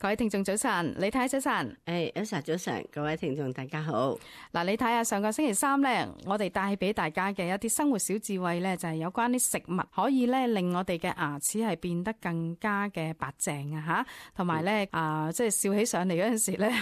各位聽眾早晨，李太早晨。Elsa 早晨，各位聽眾大家好。嗱，你睇下上個星期三咧，我哋帶俾大家嘅一啲生活小智慧咧，就係有關啲食物可以咧令我哋嘅牙齒係變得更加嘅白淨啊吓，同埋咧即係笑起上嚟嗰陣時咧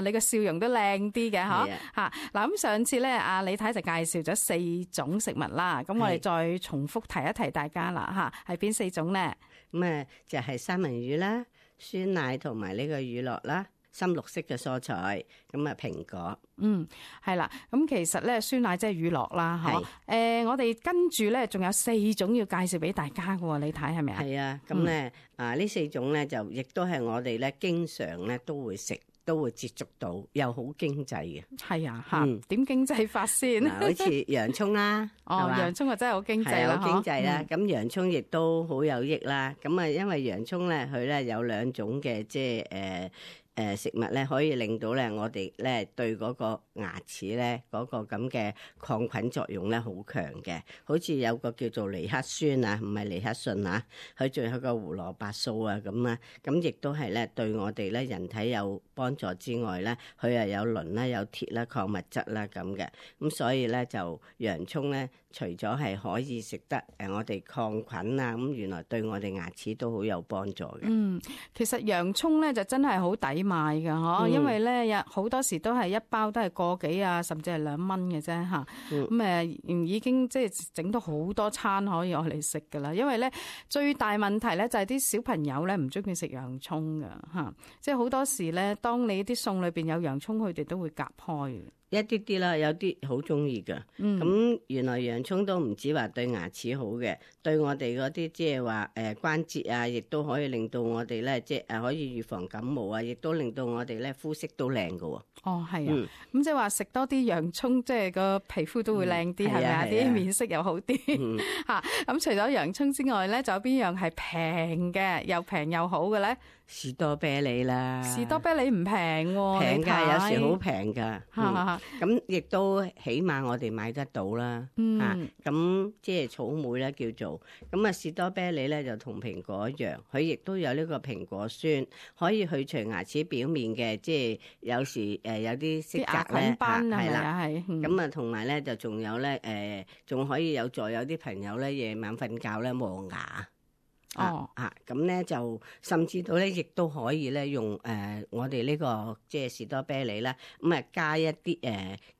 你個笑容都靚啲嘅嗬吓。嗱，咁上次咧李太就介紹咗4種食物啦，咁我哋再重複提一提大家啦吓，係邊4種咧？咁就係三文魚啦、酸奶同埋呢個乳酪啦，深綠色嘅蔬菜，咁蘋果。係啦，咁其實咧酸奶即係乳酪啦，嗬。我哋跟住咧仲有4種要介紹俾大家嘅，你睇係咪啊？係啊，咁咧呢4種咧就亦都係我哋咧經常咧都會食。都會接觸到，又好經濟嘅。係啊，吓點經濟法先？好似洋葱啦，洋葱啊真係好經濟啦，好經濟啦。咁洋葱亦都好有益啦。咁因為洋葱咧，佢咧有2種嘅即係食物咧，可以令到咧我哋咧對嗰個牙齒咧嗰個咁嘅抗菌作用咧好強嘅。好似有個叫做尼克酸啊，唔係尼克遜啊，佢仲有個胡蘿蔔素啊咁啊，咁亦都係咧對我哋咧人體有幫助之外咧，佢又有磷啦、有鐵啦、礦物質啦咁嘅。咁所以咧就洋葱咧，除咗係可以食得我哋抗菌啊，咁原來對我哋牙齒都好有幫助嘅。其實洋葱咧就真係好抵買㗎嗬，因為咧有好多時都係一包都係個幾啊，甚至係2蚊嘅啫吓。咁已經即係整到好多餐可以攞嚟食噶啦。因為咧最大問題咧就係啲小朋友咧唔中意食洋葱噶吓，即係好多時咧當你啲餸裏邊有洋葱，佢哋都會夾開嘅。一啲啲啦，有啲好中意噶。咁原來洋葱都唔止話對牙齒好嘅，對我哋嗰啲即係話關節啊，亦都可以令到我哋咧即係可以預防感冒啊，亦都令到我哋咧膚色都靚噶。哦，係啊，咁即係話食多啲洋葱，即係個皮膚都會靚啲，係咪啊？啲面色又好啲吓。咁除咗洋葱之外咧，仲有邊樣係平嘅，又平又好嘅咧？士多啤梨啦，士多啤梨唔平喎，平㗎，有時好平㗎。咁亦都起碼我哋買得到啦。咁即係草莓咧叫做。咁士多啤梨咧就同蘋果一樣，佢亦都有呢個蘋果酸，可以去除牙齒表面嘅即係有時有啲色澤咧，係啦，係。咁同埋咧就仲有咧仲可以有助有啲朋友咧夜晚瞓覺咧磨牙。咁咧就甚至到咧，亦都可以咧用我哋呢個即係士多啤梨啦，咁加一啲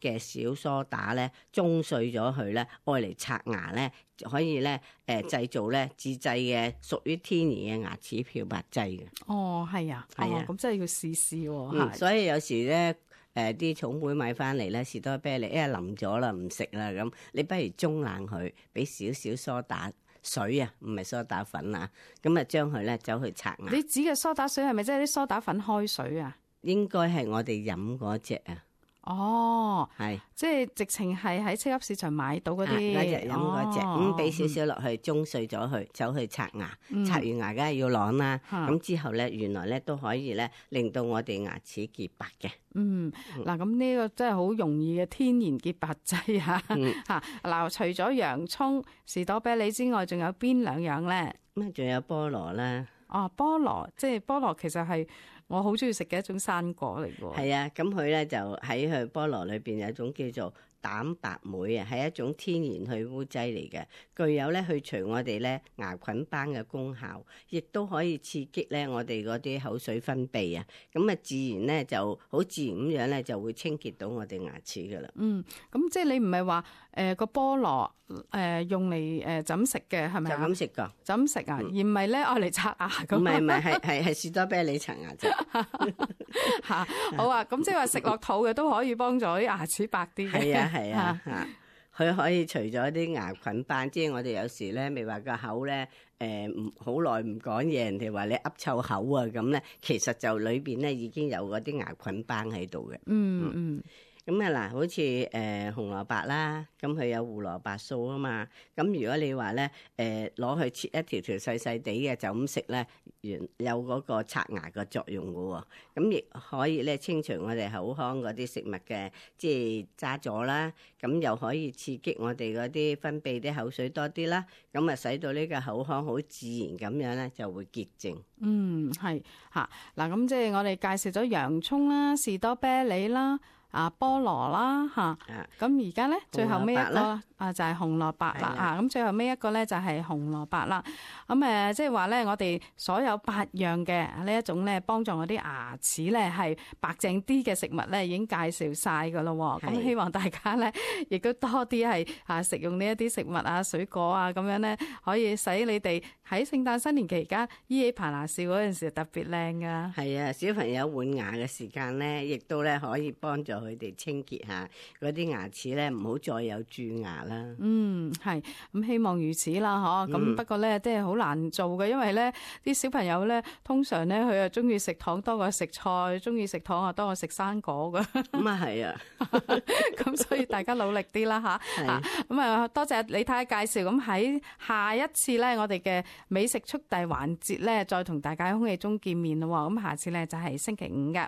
嘅小梳打咧，舂碎咗佢咧，愛嚟刷牙咧，可以咧製造咧自製嘅屬於天然嘅牙齒漂白劑嘅。哦，係啊，係啊，咁真係要試試喎。所以有時咧啲草莓買翻嚟咧，士多啤梨淋咗啦，唔食啦咁，你不如舂爛佢，俾少少梳打水啊，唔係梳打粉啊，咁將佢咧走去刷牙。你指嘅梳打水係咪即係啲梳打粉開水啊？應該係我哋飲嗰隻啊。哦，係，即係直情係喺超級市場買到嗰啲嗰隻飲嗰隻，咁俾少少落去，舂碎咗佢，走去刷牙，刷完牙梗係要啷啦。咁之後咧，原來咧都可以咧令到我哋牙齒潔白嘅。嗱，咁呢個真係好容易嘅天然潔白劑啊！嗱，除咗洋葱、士多啤梨之外，仲有邊2樣咧？咁仲有菠蘿啦。菠蘿，即係菠蘿，其實係我好中意食嘅一種生果嚟嘅。係啊，咁佢咧就喺佢菠蘿裏邊有一種叫做蛋白酶啊，係一種天然去污劑嚟嘅，具有咧去除我哋咧牙菌斑嘅功效，亦都可以刺激咧我哋嗰啲口水分泌啊，咁自然咧就好自然咁樣咧就會清潔到我哋牙齒噶啦。咁即係你唔係話個菠蘿用嚟就咁食嘅係咪？就咁食噶，就咁食啊，而唔係咧愛嚟刷牙咁。唔係係士多啤梨刷牙啫。好啊，咁即係話食落肚嘅都可以幫助啲牙齒白啲嘅。係啊，佢可以除咗啲牙菌斑，即係我哋有時咧未話個口咧好耐唔講嘢，人哋話你噏臭口啊咁咧，其實就裏邊咧已經有嗰啲牙菌斑喺度嘅。咁啊嗱，好似紅蘿蔔啦，咁佢有胡蘿蔔素啊嘛。咁如果你話咧攞去切一條條細細地嘅，就咁食咧，有嗰個刷牙嘅作用嘅喎。咁亦可以咧清除我哋口腔嗰啲食物嘅即係渣咗啦。咁又可以刺激我哋嗰啲分泌啲口水多啲啦。咁啊使到呢個口腔好自然咁樣咧就會潔淨。係嚇嗱，咁即係我哋介紹咗洋葱啦、士多啤梨啦、菠蘿啦嚇。咁而家咧最後尾一個就係紅蘿蔔啦。咁最後尾一個咧就係紅蘿蔔啦。咁即係話咧，我哋所有8樣嘅呢一種咧，幫助我啲牙齒咧係白淨啲嘅食物咧，已經介紹晒噶咯。咁希望大家咧亦都多啲係食用呢一啲食物啊、水果啊，咁樣咧可以使你哋喺聖誕新年期間依起棚牙笑嗰陣時特別靚噶。係啊，小朋友換牙嘅時間咧，亦都咧可以幫助佢哋清潔下嗰啲牙齒咧，唔好再有蛀牙啦。係咁，希望如此啦，咁不過咧，即係好難做嘅，因為咧啲小朋友咧，通常咧佢又中意食糖多過食菜，中意食糖啊多過食生果噶。咁啊係啊，咁所以大家努力啲啦嚇。咁多謝李太介紹。咁喺下一次咧，我哋嘅美食速遞環節咧，再同大家喺空氣中見面咯。咁下次咧就係星期5嘅。